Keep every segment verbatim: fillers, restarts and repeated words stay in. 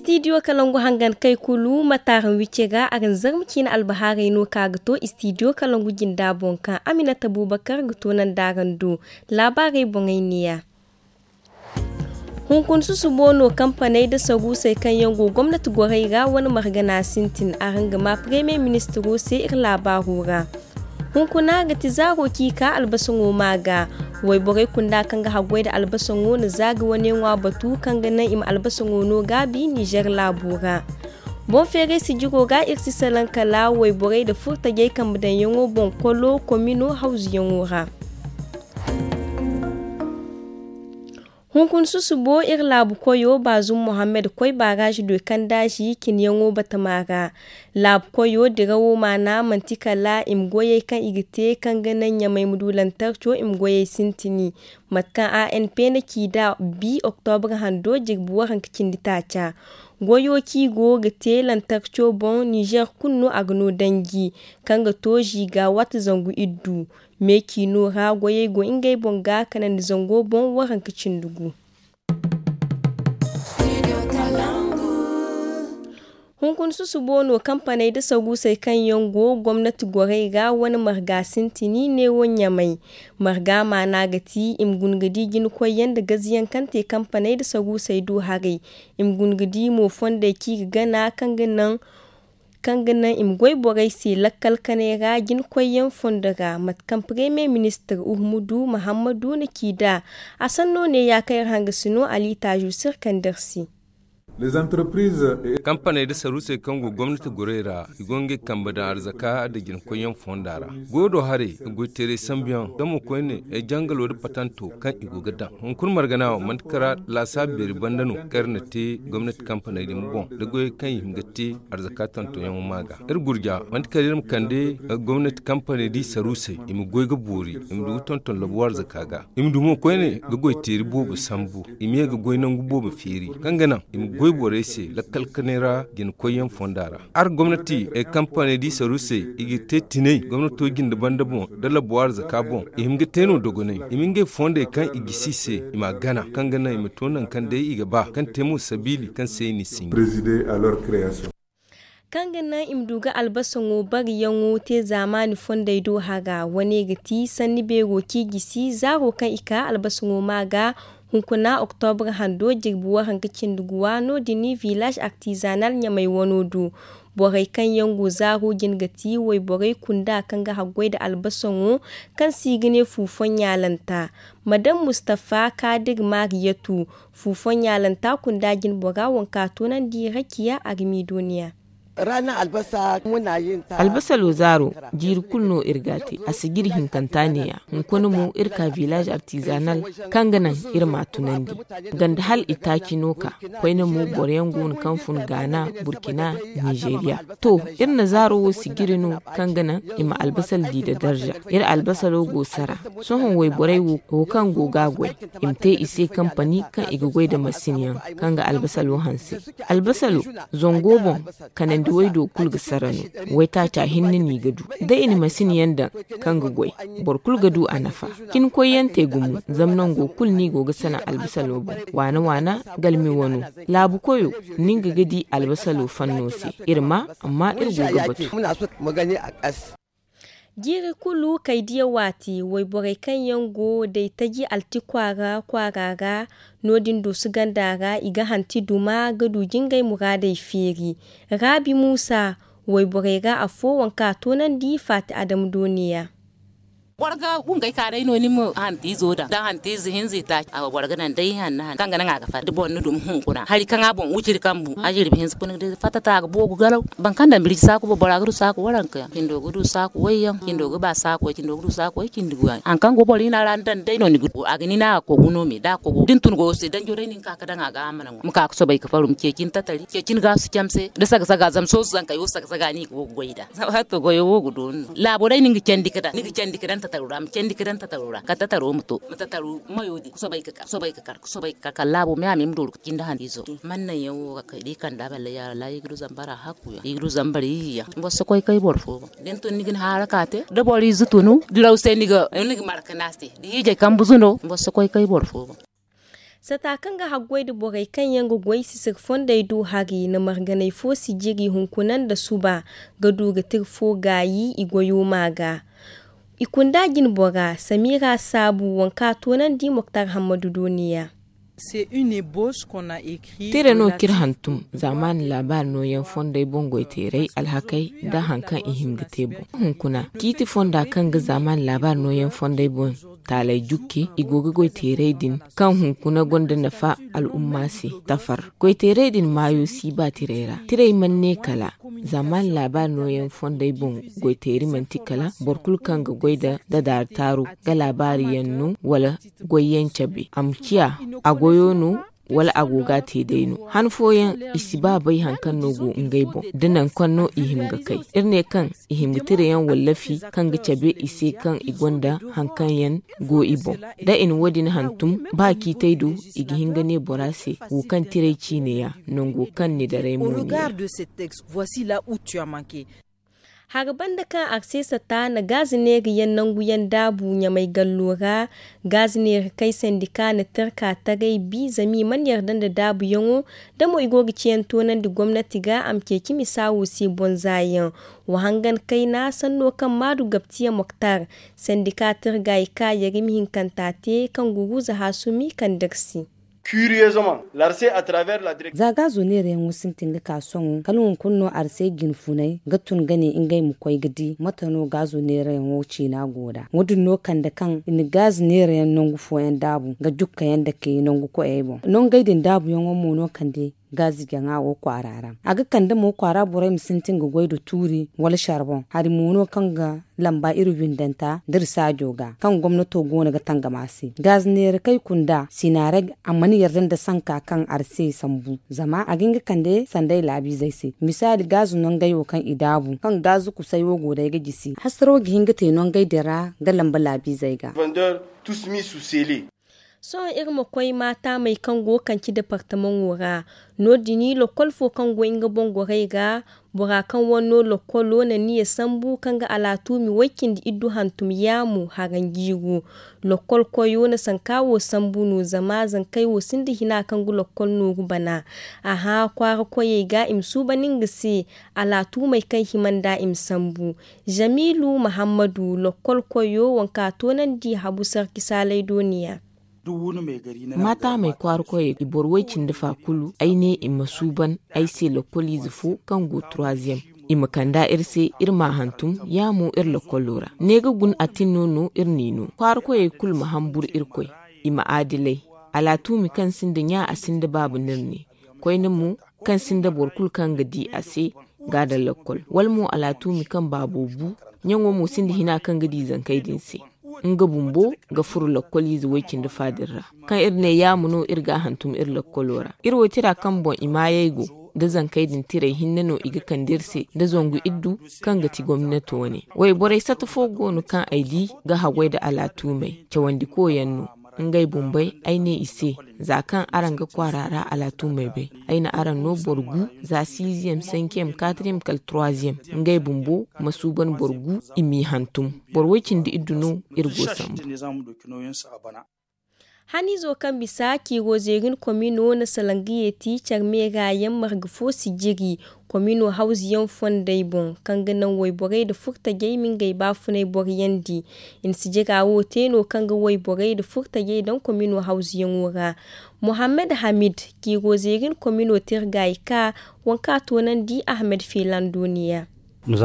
Istidiyo kalangu hangan kay kulu ma taaran wicce ga araŋ zarma ciina albahaarey no ka ga to istidiyo kalangu jinda boŋ kaŋ aminata bubakar ga to nandaaran do laabaarey boŋey neeya. Hunkuna susubo no kampaney nda saruusey kaŋ yaŋ go gomnati gorey ra wane margana sintin araŋ ga ma paremiye ministiro se iri laabaaro ra. Hunkuna ga ti zaaro kaŋ i ka albasaŋo ma ga wayborey kunda kaŋ ga haggoy nda albasaŋo na zaari wane ŋwa batu kaŋ ga naŋ i ma albasaŋo no gaabi nizer laabo ra. Boŋ feeray sijiro ga iri si salaŋ kala wayborey nda furtajey kambe daŋyaŋo boŋ kolo komino hawzuyaŋo ra. Hunkuna susubo iri laabu koyo baazum mohammed koy baaraazi doy kandaazi cinyaŋo batama ra. Laabu koyo dirawo maana manti kala i ma goyey kaŋ i ga te kaŋ ga naŋ ɲamay ma du lantarco i ma goyey sintini. Mate kaŋ a n p na ci nd'a bi oktobra hando jirbi waranka cindi taaca. Goyo kaŋ i go ga te lantarco boŋ nizer kulu no a ga no danji kaŋ ga to ziiga waati zangu iddu. Me ciino ra goyey go ngey boŋ ga kanandi zango boŋ waranka cindi gu. Hunkuna susubo no kampaney nda saruusey kaŋ yaŋ go gomnati gorey ra wane marga sintini neewo ɲamay. Marga maana ga ti i ma guna ga di jinakoyyaŋ nda gaziyaŋ kaŋ te kampaney nda saruusey do haray. I ma guna ga di mo fondey kaŋ i ga gana kaŋ ga naŋ kaŋ ga naŋ i ma goy borey se lakkal kanay ra jinakoyyaŋ fondo ra mate kaŋ paremiye ministir uhumudu mahammadu na ci nd'a. A sanno ne ya kaŋ iri hangasino ali taazu sirkandar se. Kampaney nda saruusey kaŋ go gomnati gorey ra i go ngey kambe daŋ arzaka nda jinakoyyaŋ fonda ra. Goyo do haray goyteeray sambuyaŋ damo koyne ay jangalo nda patanto kaŋ i go ga daŋ hunkuna margana wo manti kara laasaabu beeri banda no kaŋ iri na te gomnati kampaney din boŋ nda goyey kaŋ i hin ga te arzaka tontonyaŋo ma ga. Iri gurja manti kala iri ma kande gomnati kampaney di saruusey i ma goy ga boori i ma du ga tonton labu arzaka ga. I ma du mo koyne ga goy teeri boobo sambu i ma ye ga goy nangu boobo feeri kaŋ ga naŋ i ma goy borey se lakkal kanay ra jinakoyyaŋ fonda ra. Ara gomnati ay kampaney di saruusey i ga te tinay gomnato jinde banda boŋ nda labu arzaka boŋ i hin ga te no dogonay i ma ngey fondey kaŋ i gisi i se i ma a gana kaŋ ga naŋ i ma to nangu kaŋ day i ga ba kaŋ te mo sabiili kaŋ se i n'i sinji. Kaŋ ga naŋ i ma du ga albasaŋo bariyaŋo te zaamaani fondey do hara wane ga ti sanni beero kaŋ i gisi zaaro kaŋ i ka albasaŋo ma ga. Hunkuna oktobra hando jirbi waranka cindi guwa no- din village artisanal ɲamay wano do. Borey kaŋ yaŋ go zaaro jin ga ti wayborey kunda kaŋ ga haggoy nda albasaŋo kaŋ se i ga ne fuufaŋ ɲaalanta. Madam mustafa kaadir mariyatu fuufaŋ ɲaalanta kunda jinbora waŋ ka toonandi rakiya armiidoniya. Albasalo zaaro jiiri kulu no iri ga a te a sijiri hinkanta neeya. Hunkuna mo iri ka village artisanal kaŋ ga naŋ iri ma a tunandi ganda hala itaaci no ka koyne mo boro yaŋ go no kaŋ fun gaana burkina nizeeriya. To iri na zaaro wo sijiri no kaŋ ga naŋ i ma albasal di nda darza. Iri albasalo go sara sohõ wayborey wo kaŋ go ga a goy i ma te i se kampani kaŋ i ga goy nda masin yaŋ kaŋ ga albasalo hanse. Albasalo zango boŋ kanandi waydo kulu ga sara no. Waytaaca hinne no i ga du da i na masin yaŋ daŋ kaŋ ga goy boro kulu ga du a nafa. Cin koyyaŋ te gumo zama nango kulu no i go ga sanaŋ albasalo boŋ waana waana galmi wano laabu koyo. Ni nga ga di albasalo fanno se iri ma amma iri go ga batu. Jiiri kulu kay diya waati wayborey kaŋ yaŋ go day taji alti kwaara kwaara ra. No- din duusu ganda ra i ga hanti duma ga du jingay muraadey feeri. Raabi muusa wayborey ra afo waŋ kaŋ a toonandi faati adama dooniya. Boro ga bungay ka day no ni ma hanti izo daŋ da hanti ize hinza itaaci a boro ga naŋ day hanna hanna kaŋ ga naŋ a ga fatta da boro na duma hunkuna hari kaŋ a boŋ wuciri kambu a jirbi hinza kuna day fatta ta ga boogu galaw. Boro kaŋ daŋ birji saaku boŋ bora ga du saaku waranka yaŋ cindo ga du saaku wayyaŋ cindo ga ba saaku way cindo ga du saaku way cindi guwayaŋ hari kaŋ go boro hina ra ni daŋ day no ni ga du a ga ni naŋ a ga kogu no me da a kogu da ni tun goyo se danjo day no ni ga ka ga daŋ a ga a mana ŋwa ma ka ga sobay ga faru ma ceeci ni tatari ceeci ni gaasu camse da saga saga zama soosu zankey wo saga saga no i ga go ga goy nd'a. Zama haato goyo wo ga dooni no laabo day no ni ga candi ga daŋ ni ga candi ga daŋ tataro ra ma candi ga daŋ tataro ra kala tataro ma to ma tataro mayo din ga sobay ga kar ga sobay ga kar ga sobay ga kar kala laabo me a me ma dooru ga cindi handiizo. Mannaŋ yaŋ wo ga kay da i kand'a balla yaara ra i ga du zambara hakku yaŋ i ga du zambara iyye yaŋ boro si koy kay boro fo boŋ. Da ni tun ni ga ni haaraka te da boro ize tunu diraw se ni ga marka no a se da hiijay kambe zuno boro si koy kay boro fo boŋ. Sata kaŋ ga haggoy nda borey kaŋ yaŋ ga goy sisir fondey do hari na marganay fo si jiri hunkuna nda suba ga du ga tira fo gaayi i goyo ma ga. I kunda jinbora samira saabu waŋ kaŋ a toonandi moktar hammadu do neeya. Tira no k'iri hantum zaamaani laabaari nooyaŋ fondey boŋ goyteeray alhakey nda hari kaŋ i hin ga te boŋ. Hunkuna ciiti fonda kaŋ ga zaamaani laabaari nooyaŋ fondey boŋ taaley jukki i go ga goyteeray din kaŋ hunkuna gonda nafa al'umma se tafar. Goyteeray din maayo si ba tirey ra tirey mana ne kala zaamaani laabaari nooyaŋ fondey boŋ. Goyteeri manti kala boro kulu kaŋ ga goy nda dadaari taaru ga laabaari yaŋ no wala goyyaŋ cabe a ma ciya a goyo no wala a go ga a te day no. Han fooyaŋ i si ba bay hari kaŋ no go ngey boŋ da nangu kaŋ no i hima ga kay. Iri ne kaŋ i hima ga tira yaŋ wallafi kaŋ ga cabe i se kaŋ i gonda hari kaŋ yaŋ go i boŋ. Da i na wo- din hantum ba ciitay do i ga hin ga ne bora se wo kaŋ tiray ciine ya nango kaŋ ni daray mo ne ya. Hari banda kaŋ arsesa ta na gaazi neera yaŋ nangu yaŋ daabu ɲamay gallo ra. Gaazi neera kay sandika na tirka taray bi zama i mana yarda nda daabu yaŋo da mo i go ga ciyaŋ toonandi gomnati ga a ma ceeci misa wo se bonza yaŋ. Wa hangan kayna sanno kaŋ maadu gabtiya moktar sandika tirga i ka yarimi hinkanta te kaŋ guruza haasumi kaŋ dirsi. Za gaazo neerayaŋo sintin ga ka sohõ kala hunkuna no arsey jinfunay ga tun ga ne ngey ma koy ga di mate no gaazo neerayaŋo ciina go nd'a. Wo- din no kande kaŋ i na gaazo neerayaŋ nangu fooyaŋ daabu ga jukkayaŋ dake nangu koyey boŋ. Nongey din daabuyaŋo mo no kande gaazo jaŋa wo kwaara ra. A ga kande mo kwaara borey ma sintin ga goy nda tuuri wala sharboŋ hari mo no kaŋ ga lamba iri windanta da iri saajo ga kaŋ gomnato go no ga tangam a se. Gaazi neera kaŋ i kunda sinaarag a mana yarda nda sanka kaŋ ari se sambu zama a ga hin ga kande sanday laabiizey se. Misaali gaazi nongey wo kaŋ i daabu kaŋ gaazi kusay wo go day ga jisi hasaro ga hin ga te nongey din ra ga lamba laabiizey ga. Sohõ iri ma koy maataamey kaŋ go ga kanci departamaŋo ra. No- din lokol fo kaŋ go nga boŋ gorey ga bora kaŋ wane no lokolo na niya sambu kaŋ ga alaatuumi way- cindi iddu hantum yaamu haranjiiru. Lokol koyo na sanka wo sambu no zama zankey wo sinda hina kaŋ ga lokol nooru bana. Aha kwaara koyey ga i ma suuban nga se alaatuumey kaŋ hima nd'a i ma sambu. Zamiilu mahammadu lokol koyo waŋ kaŋ a toonandi habu sarki saalay dooniya. Maataamey kwaara koyey i boro way- cindi fa kulu ay ne i ma suuban ay se lokoliize fo kaŋ go troisième. I ma kand'a iri se iri m'a hantum ya mo iri lokolo ra ne ga guna a tin no no iri n'i no kwaara koyey kulu ma hamburu irkoy. I ma aadilay alaatuumi kaŋ sinda ɲa a sinda baaba no iri ne. Koyne mo kaŋ sinda boro kulu kaŋ ga di a se ga a daŋ lakkol wala mo alaatuumi kaŋ baabo bu. Ɲaŋo mo sinda hina kaŋ ga di zankey din se. Nga bumbo ga furo lakkoliize way- cindi fa din ra kaŋ iri ne yaama no iri ga a hantum iri lakkolo ra. Iri wo tira kaŋ boŋ i maayey go da zankey din tirey hinne no i ga kande iri se da zangu iddu kaŋ ga ti gomnato wane. Wayborey sata fo go no kaŋ ay di ga haggoy nda alaatuumey cawandiko yaŋ no. Ngey bumbey ay ne i se za kaŋ araŋ ga kwaara ra alaatuumey bay ay na araŋ no boro gu za siiziyem senkiyem katriyem kala troiziyem. Ngey bumbo ma suuban boro gu i m'i hantum. Boro way- cindi iddu no iri go sambu. Haniizo kaŋ bisa ciiro zeerin komino na salangiyeti care meera yaŋ marga fo si jiri. Komino hawzuyaŋ fondey boŋ kaŋ ga naŋ wayborey nda furtajey ma ngey baafunay boroyandi. I na sijira wo te no kaŋ ga wayborey nda furtajey daŋ komino hawzuyaŋo ra. Mohammed hamid ciiro zeerin komino tirga i ka waŋ kaŋ a toonandi ahmed feelan dooniya. Iri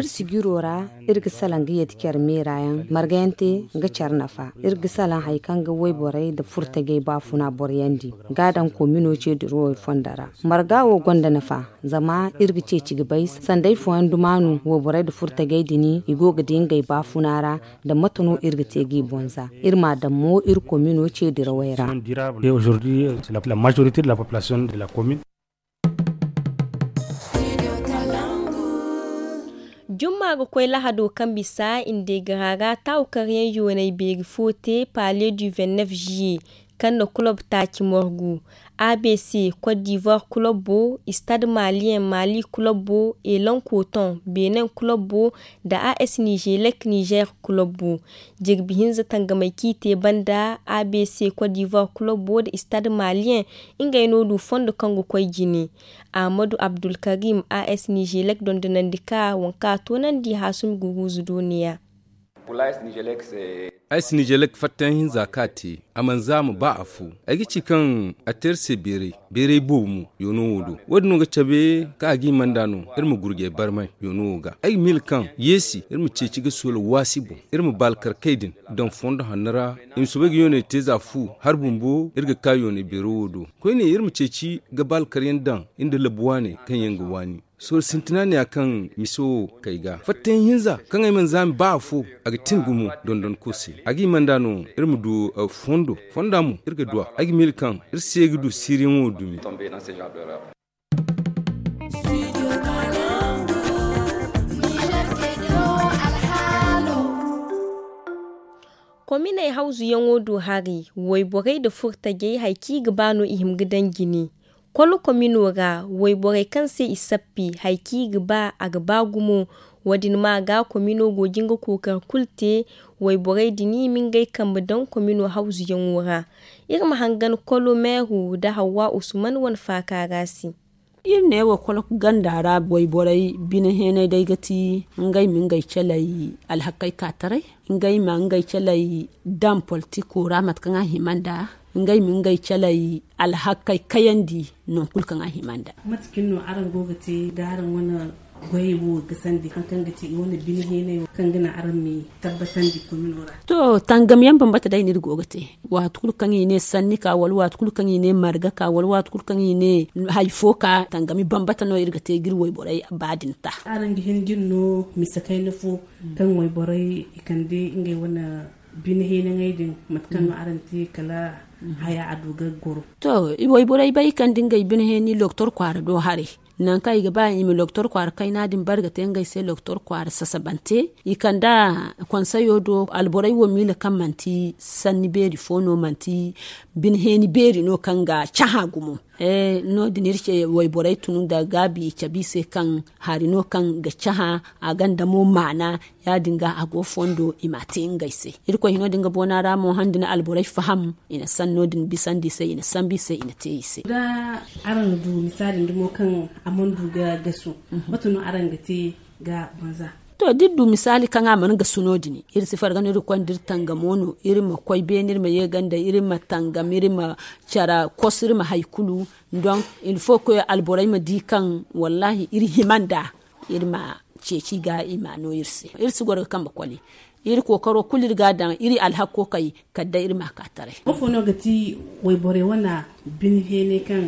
sijiro ra iri ga salaŋ ga yeeti care meera yaŋ marga yaŋ te ga care nafa. Iri ga salaŋ hari kaŋ ga wayborey nda furtajey baafuna boroyandi ga a daŋ komino ceediro wo fondo ra. Marga wo gonda nafa zama iri ga ceeci ga bay sanday fooyaŋ dumaanu wayborey nda furtajey din i go ga di ngey baafuna ra. Nda mate no iri ga te g'i bonza iri m'a daŋ mo iri komino ceedirawey ra. Jumma ga koy lahado kaŋ bisa i na deegara ra taawu karyaŋ yoonay beeri fo te palais du vingt-neuf juillet. kaŋ na kulob taaci morgu. A B C, Côte d'Ivoire kulobo, Stade Malien, Mali kulobo, Elan Coton, Benin kulobo, nda A S Nigelec, Niger kulobo. Jirbi hinza tangamey kaŋ i te banda, A B C Côte d'Ivoire kulobo nda Stade Malien, ngey no du fondo kaŋ ga koy jine. Ahmadu Abdulkarim, A S Nigelec dondonandi ka, waŋ kaŋ a toonandi Haasumi Guruuzu do neeya. A S Nigelec fattayaŋ hinza kaŋ a te, a mana zaama ba afo. Ay ga ci kaŋ a te iri se beeray, beeray boobo mo, yoono wo do. Wo-din no ga cabe kaŋ a ga hima nd'a no iri ma gurjay barmay yoono wo ga. Ay ga miila kaŋ yeesi iri ma ceeci ga soola waasi boŋ, iri ma baalkarkey din daŋ fondo hanno ra. I ma soobay ga yooney te za fu, hari bumbo iri ga ka yooney beero wo do. Koyne iri ma ceeci ga baalkaryaŋ daŋ nda labu waane kaŋ yaŋ ga waani. Sorro sintina ne ya kaŋ mise wo kay ga fattayaŋ hinza kaŋ ay mana zaami ba afo. A ga tin gumo dondonko se. A ga hima nd'a no iri ma du fondo, fonda mo iri ga du a. Ay ga miila kaŋ iri se ga du siiriyaŋo dumi. Kominey hawzuyaŋo du hari, wayborey nda furtajey hari kaŋ i ga ba no i hima ga daŋ jine. Kolo komino ra, wayborey kaŋ se i sappi hari kaŋ i ga ba, a ga ba gumo. Wo-din ma ga komino go ga nga kookari kulu te. Wayborey din i ma ngey kambe daŋ komino hawzuyaŋo ra. Iri ma hangan kolo meeru nda hawwa usman wane faaka ra se. Iri ne wo kolo ganda ra wayborey bine heenay day ga ti ngey ma ngey calay alhakey ka taray. Ngey ma ngey calay daŋ politiko ra mate kaŋ a hima nd'a. Ngey ma ngey calay alhakey kayandi. Nangu kulu kaŋ a hima nd'a. Mate kaŋ no araŋ go ga te da araŋ wane goyey wo ga sandi hari kaŋ ga te i wane bine heenay wo kaŋ ga naŋ araŋ ma i tabbatandi komino ra? To, tangam yaŋ bambata day no iri go ga te. Waati kulu kaŋ i ne sanni ka wala waati kulu kaŋ i ne marga ka wala waati kulu kaŋ i ne hari fo ka tangami bambata no iri ga te ga iri wayborey ba din ta. Araŋ ga hin ga iri no mise kayna fo kaŋ wayborey i kande ngey wane bine heenaŋey din mate kaŋ no araŋ te kala haya a du ga goro? To, wayborey bay i kande ngey bine heeni loktor kwaara do haray. Nangu kaŋ i ga ba i ma loktor kwaara kayna din bare ga te ngey se loktor kwaara sasabante. I kande konseyo do alborey wo miila kaŋ manti sanni beeri fo no manti bine heeni beeri no kaŋ ga cahã gumo. No- din iri ce wayborey tun nda gaabi i cabe i se kaŋ hari no kaŋ ga cahã a gonda mo maana. Ya- din ga a go fondo i m'a te ngey se. Irkoy hino din ga boona ra mo han da ni alborey faham i na sanno din bisandi i se i na sambu i se i na te i se. Da araŋ du misaali nda mo kaŋ a mana du ga gasu, mate no araŋ ga te ga banza? To, da iri du misaali kaŋ a mana gasu no- din iri si farga no iri ga koy nda iri tangamo no iri ma koy beene iri ma ye ganda iri ma tangam iri ma care kos iri ma hari kulu. Donk il faut que alborey ma di kaŋ wallaahi iri hima nd'a. Iri ma ceeci ga i ma no iri se iri si goro ga kambe koli. Iri kookaro kulu iri ga a daŋ iri alhakko kay kala day iri ma a ka taray. Ifo no ga ti wayborey wane bine heenay kaŋ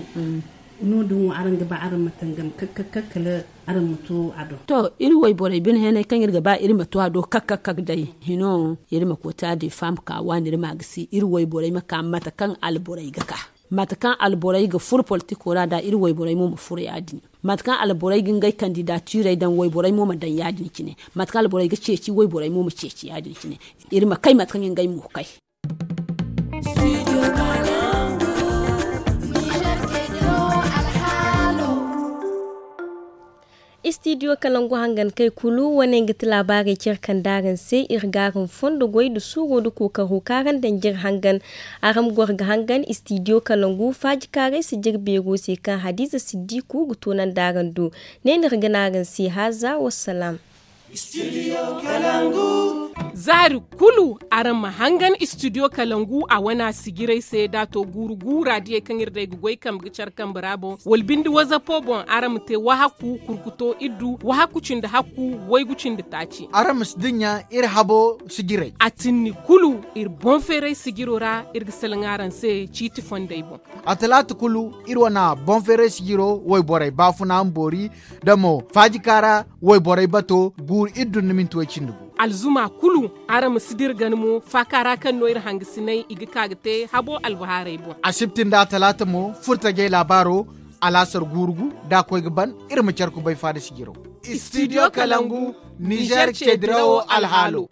no- din wo araŋ ga ba araŋ ma tangam kak kak kak kala araŋ ma to a do? To, iri wayborey bine heenay kaŋ iri ga ba iri ma to a do kak kak kak day hino iri ma koota de faama ka waani iri ma a gisi iri wayborey ma ka mate kaŋ alborey ga ka. Mate kaŋ alborey ga furo politiko ra da iri wayborey mo ma furo ya- din. Mate kaŋ alborey ga ngey kandidatirey daŋ wayborey mo ma daŋ ya- din cine. Mate kaŋ alborey ga ceeci wayborey mo ma ceeci ya- din cine. Iri ma kay mate kaŋ ngey mo kay. Istidiyo kalangu hangan kay kulu wane ga ti laabaarey care kaŋ da araŋ se iri ga araŋ fondo goy nda suuro nda kookaro kaŋ araŋ daŋ jire hangan. Araŋ ma goro ga hangan istidiyo kalangu faaji kaaray si jire beero se kaŋ hadiza siddiku ga toonandi araŋ do. Ne no iri ga ne araŋ se haaza wassalaam. Zaari kulu araŋ ma hangan istidiyo kalangu a wana sijirey se da a to guuru guura diyey kaŋ iri day ga goy kambe ga care kambe ra boŋ wala binde wazapo boŋ araŋ ma te wahakku kurkuto iddu wahakku cindi hakku waygu cindi taaci. Araŋ ma si dinya iri habo sijirey a tinni kulu iri boŋ feeray sijiro ra. Iri ga salaŋ araŋ se ciiti fondey boŋ. A talaata kulu iri wana boŋ feeray sijiro wayborey baafuna ma boori da mo faaji kaara wayborey bato guuru iddu nda minti way cindi gu. Alzuma kulu araŋ ma si dira gana mo faaka ra kaŋ no iri hangasiney i ga ka ga te habo albahaarey boŋ. Asibti nda talaata mo furtajey laabaaro alaasar guuru gu da a koy ga ban iri ma care kubay faada sijiro. Istidiyo kalangu nizer ceedirawo alhaalo.